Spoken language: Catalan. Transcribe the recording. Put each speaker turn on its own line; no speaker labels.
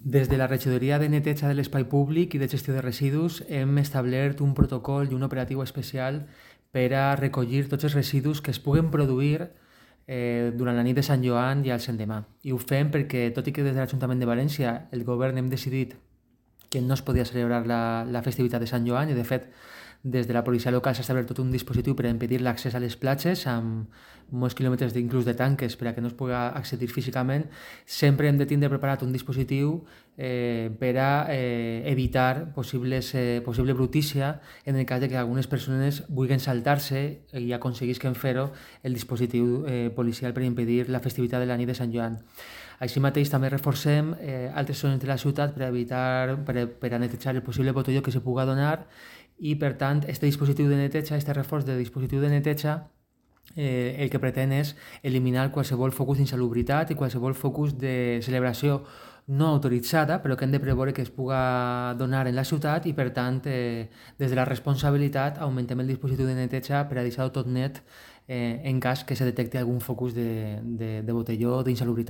Des de la regidoria de neteja de l'espai públic i de gestió de residus hem establert un protocol i un operatiu especial per a recollir tots els residus que es puguen produir durant la nit de Sant Joan i al l'endemà. I ho fem perquè, tot i que des de l'Ajuntament de València el govern hem decidit que no es podia celebrar la festivitat de Sant Joan i, de fet, des de la policia local s'ha establert tot un dispositiu per a impedir l'accés a les platges amb molts quilòmetres inclús de tanques per a que no es pugui accedir físicament. Sempre hem de tindre preparat un dispositiu per a evitar possible brutícia en el cas de que algunes persones vulguin saltar-se i aconseguisquen fer-ho el dispositiu policial per impedir la festivitat de la nit de Sant Joan. Així mateix també reforcem altres zones de la ciutat per a netejar el possible botelló que se pugui donar i, per tant, aquest dispositiu de neteja, aquest reforç de dispositiu de neteja, el que pretén és eliminar qualsevol focus d'insalubritat i qualsevol focus de celebració no autoritzada, però que hem de preveure que es pugui donar en la ciutat i, per tant, des de la responsabilitat augmentem el dispositiu de neteja per a deixar-ho tot net en cas que se detecti algun focus de botelló o d'insalubritat.